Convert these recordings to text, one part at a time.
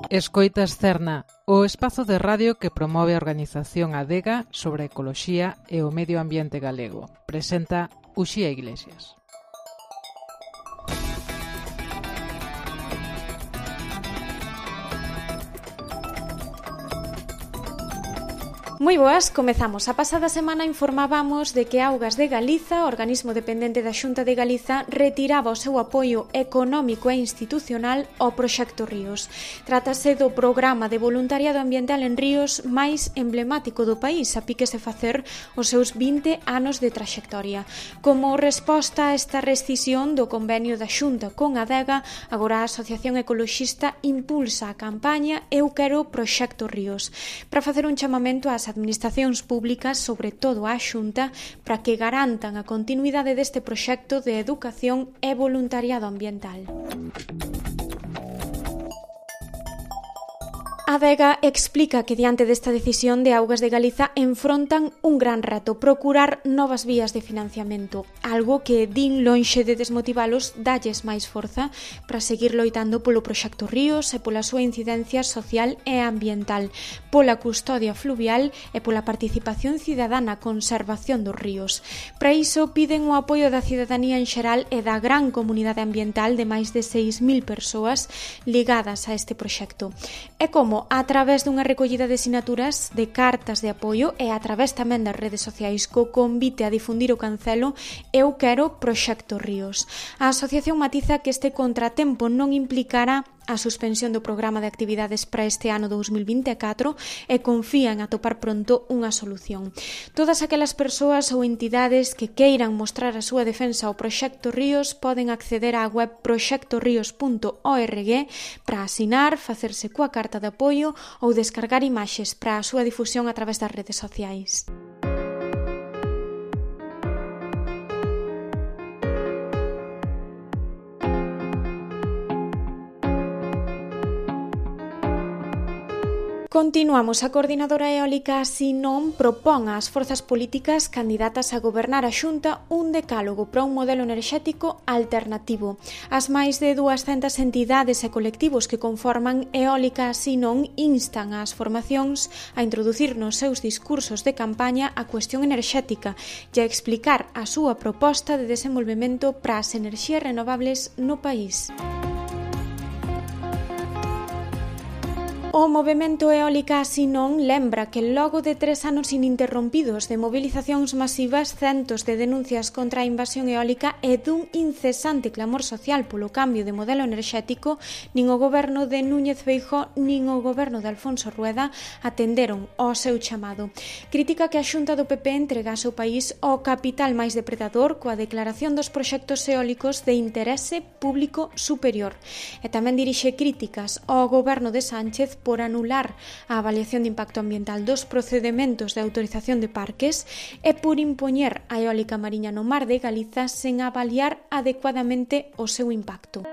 Escoitas Cerna, o espazo de radio que promove a organización Adega sobre a ecoloxía e o medio ambiente galego. Presenta Uxía Iglesias. Moi boas, comezamos. A pasada semana informábamos de que Augas de Galiza, organismo dependente da Xunta de Galiza, retiraba o seu apoio económico e institucional ao Proxecto Ríos. Trátase do programa de voluntariado ambiental en ríos máis emblemático do país, a piques de facer os seus 20 anos de traxectoria. Como resposta a esta rescisión do convenio da Xunta con Adega, agora a Asociación Ecoloxista impulsa a campaña Eu Quero Proxecto Ríos, para facer un chamamento ás administracións públicas, sobre todo á Xunta, para que garantan a continuidade deste proxecto de educación e voluntariado ambiental. Adega explica que diante desta decisión de Augas de Galiza enfrontan un gran reto, procurar novas vías de financiamento, algo que din lonxe de desmotivalos dalles máis forza para seguir loitando polo Proxecto Ríos e pola súa incidencia social e ambiental, pola custodia fluvial e pola participación cidadá na conservación dos ríos. Para iso piden o apoio da cidadanía en xeral e da gran comunidade ambiental de máis de 6.000 persoas ligadas a este proxecto. E como a través dunha recollida de sinaturas de cartas de apoio e a través tamén das redes sociais co convite a difundir o cancelo Eu Quero Proxecto Ríos. A asociación matiza que este contratempo non implicará a suspensión do programa de actividades para este ano 2024 e confía en atopar pronto unha solución. Todas aquelas persoas ou entidades que queiran mostrar a súa defensa ao Proxecto Ríos poden acceder á web proxectorios.org para asinar, facerse coa carta de apoio ou descargar imaxes para a súa difusión a través das redes sociais. Continuamos. A coordinadora eólica Sinón propón ás forzas políticas candidatas a gobernar a Xunta un decálogo para un modelo enerxético alternativo. As máis de 200 entidades e colectivos que conforman Eólica Sinón instan ás formacións a introducir nos seus discursos de campaña a cuestión enerxética e a explicar a súa proposta de desenvolvemento para as enerxías renovables no país. O movemento Eólica Sinón lembra que logo de 3 anos ininterrompidos de movilizacións masivas, centos de denuncias contra a invasión eólica e dun incesante clamor social polo cambio de modelo enerxético, nin o goberno de Núñez Feijóo nin o goberno de Alfonso Rueda atenderon ao seu chamado. Critica que a Xunta do PP entregase o país ao capital máis depredador coa declaración dos proxectos eólicos de interese público superior. E tamén dirixe críticas ao goberno de Sánchez por anular a avaliación de impacto ambiental dos procedementos de autorización de parques e por impoñer a eólica mariña no Mar de Galiza sen avaliar adecuadamente o seu impacto.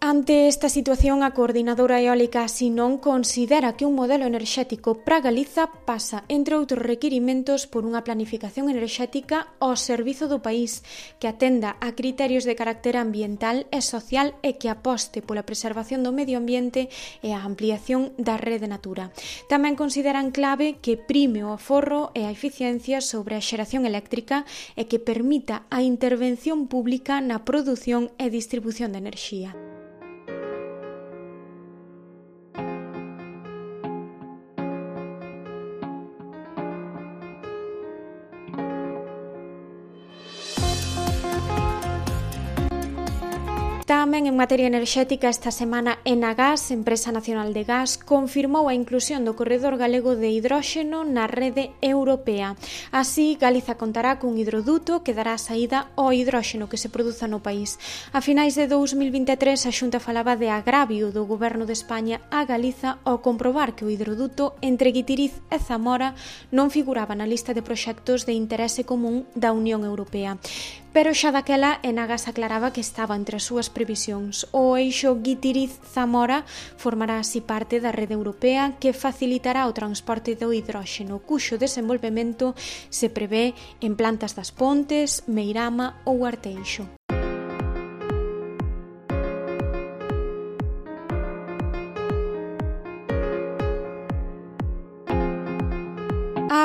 Ante esta situación, a coordinadora eólica Sinón considera que un modelo enerxético para Galiza pasa, entre outros requirimentos, por unha planificación enerxética ao servizo do país, que atenda a criterios de carácter ambiental e social e que aposte pola preservación do medio ambiente e a ampliación da rede Natura. Tamén consideran clave que prime o aforro e a eficiencia sobre a xeración eléctrica e que permita a intervención pública na produción e distribución de enerxía. Tamén en materia enerxética, esta semana Enagás, Empresa Nacional de Gas, confirmou a inclusión do corredor galego de hidróxeno na rede europea. Así, Galiza contará cun hidroduto que dará saída ao hidróxeno que se produza no país. A finais de 2023, a Xunta falaba de agravio do Goberno de España a Galiza ao comprobar que o hidroduto entre Guitiriz e Zamora non figuraba na lista de proxectos de interese común da Unión Europea. Pero xa daquela Enagás aclaraba que estaba entre as súas previsións. O eixo Guitiriz-Zamora formará así parte da rede europea que facilitará o transporte do hidróxeno, cuxo desenvolvemento se prevé en plantas das Pontes, Meirama ou Arteixo.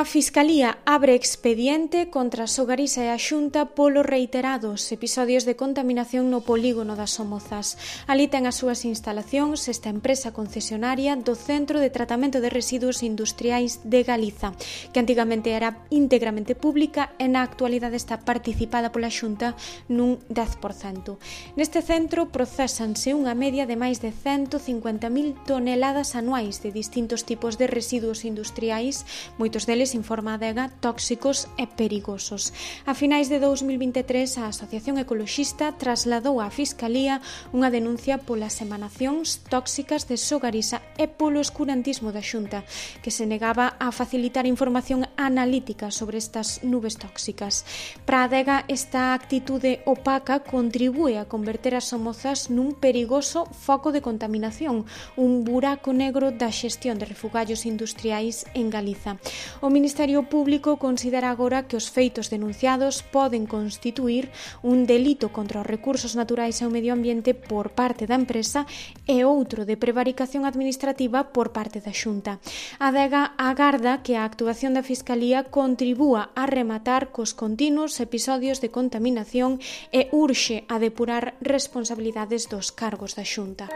A Fiscalía abre expediente contra Sogarisa e a Xunta polo reiterados episodios de contaminación no polígono das Somozas. Ali ten as súas instalacións esta empresa concesionaria do Centro de Tratamento de Residuos Industriais de Galiza, que antigamente era íntegramente pública e na actualidade está participada pola Xunta nun 10%. Neste centro procésanse unha media de máis de 150.000 toneladas anuais de distintos tipos de residuos industriais, moitos deles, informa a Adega, tóxicos e perigosos. A finais de 2023, a Asociación Ecoloxista trasladou á Fiscalía unha denuncia polas emanacións tóxicas de Sogarisa e polo escurantismo da Xunta, que se negaba a facilitar información analítica sobre estas nubes tóxicas. Para a Adega, esta actitude opaca contribúe a converter as Somozas nun perigoso foco de contaminación, un buraco negro da xestión de refugallos industriais en Galiza. O Ministerio Público considera agora que os feitos denunciados poden constituir un delito contra os recursos naturais e o medio ambiente por parte da empresa e outro de prevaricación administrativa por parte da Xunta. A Adega agarda que a actuación da Fiscalía contribúa a rematar cos continuos episodios de contaminación e urxe a depurar responsabilidades dos cargos da Xunta.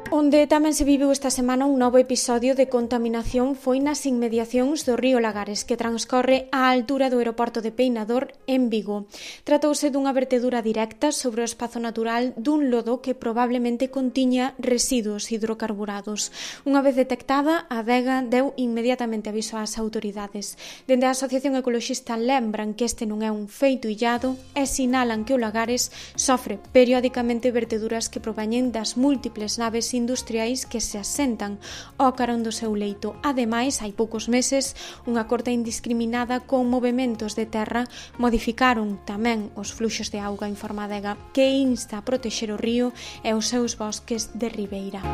Onde tamén se viveu esta semana un novo episodio de contaminación foi nas inmediacións do río Lagares, que transcorre á altura do aeroporto de Peinador en Vigo. Tratouse dunha vertedura directa sobre o espazo natural dun lodo que probablemente contiña residuos hidrocarburados. Unha vez detectada, a Adega deu inmediatamente aviso ás autoridades. Dende a Asociación Ecoloxista lembran que este non é un feito illado e sinalan que o Lagares sofre periódicamente verteduras que proveñen das múltiples naves industriais que se asentan ao carón do seu leito. Ademais, hai poucos meses, unha corta indiscriminada con movementos de terra modificaron tamén os fluxos de auga, informa a Adega, que insta a protexer o río e os seus bosques de ribeira.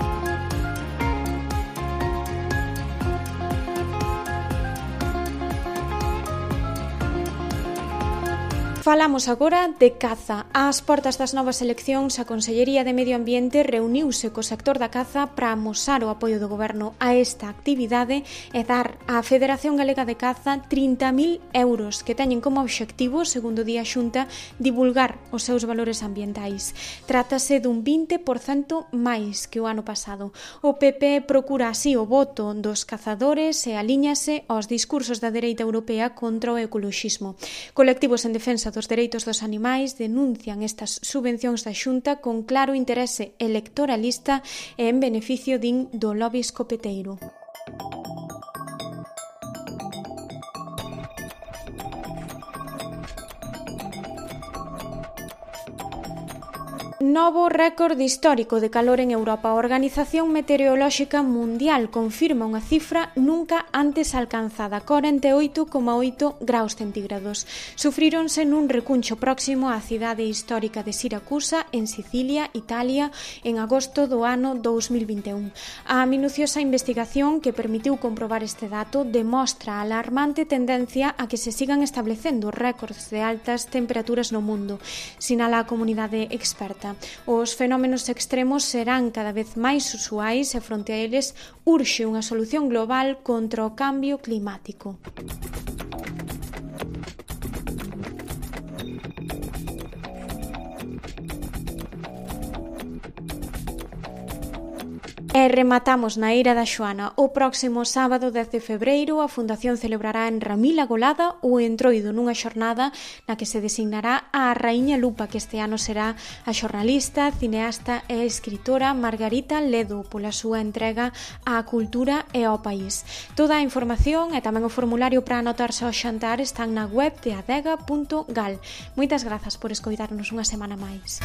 Falamos agora de caza. Ás portas das novas eleccións, a Consellería de Medio Ambiente reuniuse co sector da caza para amosar o apoio do Goberno a esta actividade e dar á Federación Galega de Caza 30.000 euros que teñen como obxectivo, segundo di a Xunta, divulgar os seus valores ambientais. Trátase dun 20% máis que o ano pasado. O PP procura así o voto dos cazadores e alíñase aos discursos da dereita europea contra o ecoloxismo. Colectivos en defensa dos dereitos dos animais denuncian estas subvencións da Xunta con claro interese electoralista e en beneficio, din, do lobby escopeteiro. Novo récord histórico de calor en Europa. A Organización Meteorolóxica Mundial confirma unha cifra nunca antes alcanzada, 48,8 graus centígrados. Sufríronse nun recuncho próximo á cidade histórica de Siracusa, en Sicilia, Italia, en agosto do ano 2021. A minuciosa investigación que permitiu comprobar este dato demostra a alarmante tendencia a que se sigan establecendo récords de altas temperaturas no mundo, sinala a comunidade experta. Os fenómenos extremos serán cada vez máis usuais e fronte a eles urxe unha solución global contra o cambio climático. E rematamos na Eira da Xoana. O próximo sábado 10 de febreiro a Fundación celebrará en Ramila Golada o entroido nunha xornada na que se designará a Raíña Lupa, que este ano será a xornalista, cineasta e escritora Margarita Ledo pola súa entrega á cultura e ao país. Toda a información e tamén o formulario para anotarse ao xantar están na web de adega.gal. Moitas grazas por escoitarnos unha semana máis.